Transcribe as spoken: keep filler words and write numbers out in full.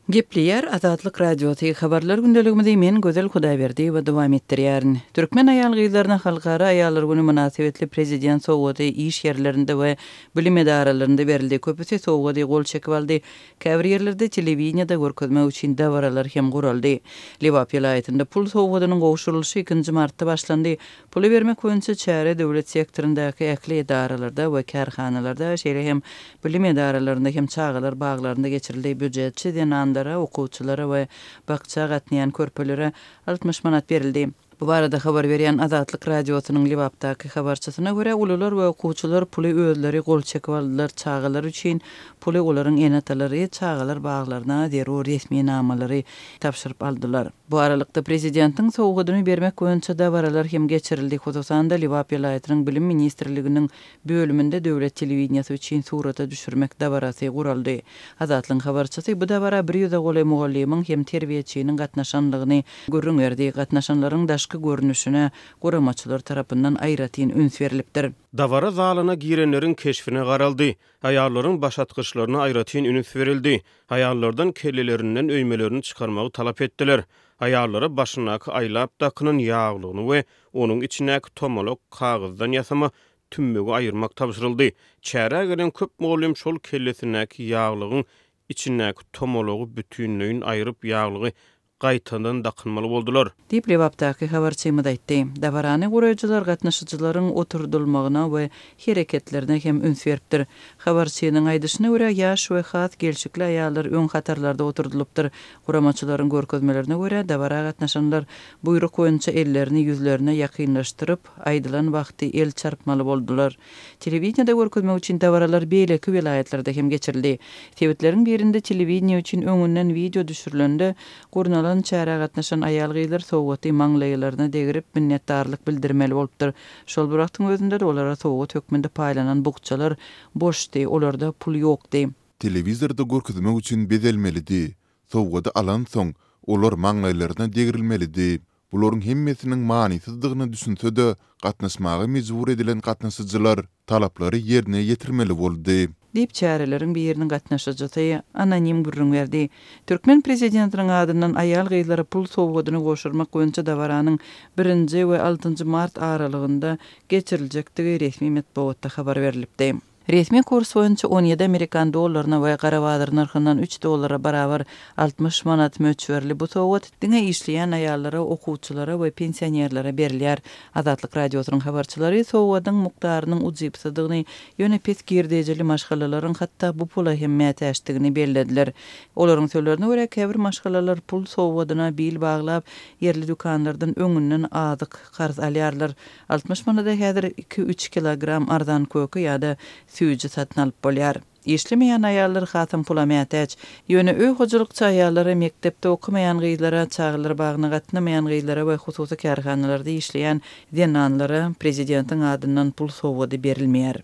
Gepleýär Azatlyk Radiosy, Habarlar gündeligimizi men Gözel Hudaýberdiýewa dowam etdirýärin. Türkmen aýal-gyzlaryna Halkara aýallar güni mynasybetli prezident sowgady iş ýerlerinde we bilim edaralarynda berildi. Köpüsi sowgady gol çekip aldy. Käbir ýerlerde telewideniýede görkezmek üçin dabaralar hem guraldy. Lebap welaýatynda pul sowgadynyň gowşurylyşy ikinji martda başlandy. Puly bermek boýunça çäre döwlet sektoryndaky ähli edaralarda we kärhanalarda, şeýle hem bilim edaralarynda hem çagalar baglarynda geçirildi. Býujetçi zenanlara, okuwçylara we bakja gatnaýan körpelere altmyş manat berildi. Bu barada habar berýän Azatlyk Radiosynyň Lebapdaky habarçysyna görä, ulular we okuwçylar puly özleri gol çekip aldylar, çagalar üçin puly olaryň ene-atalary çagalar baglaryna zerur resminamalary tabşyryp aldylar. Bu aralykda, prezidentiň sowgadyny bermek boýunça dabaralar hem geçirildi. Hususan-da, Lebap welaýatynyň Bilim ministrliginiň bölüminde döwlet telewideniýesi üçin surata düşürmek dabarasy guraldy. Azatlygyň habarçysy bu dabara bir ýüze golaý mugallymyň hem terbiýeçiniň gatnaşanlygyny gürrüň berdi. Gatnaşanlaryň daşky görnüşine guramaçylar tarapyndan aýratyn üns berlipdir. Dabara zalyna girenleriň keşbine garaldy. Aýallaryň başatgyçlaryna aýratyn üns berildi. Aýallardan kellelerinden öýmelerini çykarmagy talap etdiler. Aýallara başyndaky aýlap dakynan ýaglygyny we onuň içindäki tomalak kagyzdan ýasama tümmegi aýyrmak tabşyryldy. Çärä gelen köp mugallym şol kellesindäki ýaglygyň içindäki tomalagy bütinleýin aýryp, ýaglygy gaýtadan dakynmaly boldular. Diýip, Lebapdaky habarçymyz aýtdy. Dabarany guraýjylar gatnaşyjylaryň oturdylmagyna we hereketlerine hem üns beripdir. Habarçynyň aýdyşyna görä, ýaş we has gelşikli aýallar öň hatarlarda oturdylypdyr. Guramaçylaryň görkezmelerine görä, dabara gatnaşanlar buýruk boýunça ellerini ýüzlerine ýakynlaşdyryp, aýdylan wagty el çarpmaly boldular. Telewideniýede görkezmek üçin dabaralar beýleki welaýatlarda hem geçirildi. Sebitleriň birinde telewideniýe üçin öňünden wideo düşürilende, gurnalan çärä gatnaşan aýal-gyzlar sowgaty maňlaýlaryna degirip, minnetdarlyk bildirmeli bolupdyr. Şol bir wagtyň özünde-de olara sowgat hökmünde paýlanan bukjalar boşdy, olarda pul ýokdy. Telewizorda görkezmek üçin bezelmelidi. Sowgady alansoň, olar maňlaýlaryna degrilmelidi. Bularyň hemmesiniň manysyzdygyna düşünse-de, gatnaşmaga mejbur edilen gatnaşyjylar talaplary ýerine ýetirmeli boldy. Diýip, çäreleriň biriniň gatnaşyjysy anonim gürrüň berdi. Türkmen prezidentiniň adyndan aýal-gyzlara pul sowgadyny gowşurmak boýunça dabaranyň birinji we altynjy mart aralygynda geçiriljekdigi resmi metbugatda habar berlipdi. Resmi kurs boýunça on ýedi amerikan dollaryna we gara bazar nyrhyndan üç dollara barabar altmyş manat möçberli bu sowgat diňe işleýän aýallara, okuwçylara we pensionerlere berilýär. Azatlyk Radiosynyň habarçylary sowgadyň mukdarynyň ujypsyzdygyny, ýöne pes girdejeli maşgalalaryň hatda bu pula hem mätäçdigini bellediler. Olaryň sözlerine görä, käbir maşgalalar pul sowgadyna bil baglap, ýerli dükanlardan öňünden azyk karz alýarlar. Altmyş manada häzir iki-üç kilogram arzan köke ýa-da süýji satyn alyp bolýar. Işlemeýän aýallar hasam pula mätäç. Ýöne öý hojalykçy aýallara, mekdepde okamaýan gyzlara, çagalar bagyna gatnamaýan gyzlara we hususy kärhanalarda işleýän zenanlara prezidentiň adyndan pul sowgady berilmeýär.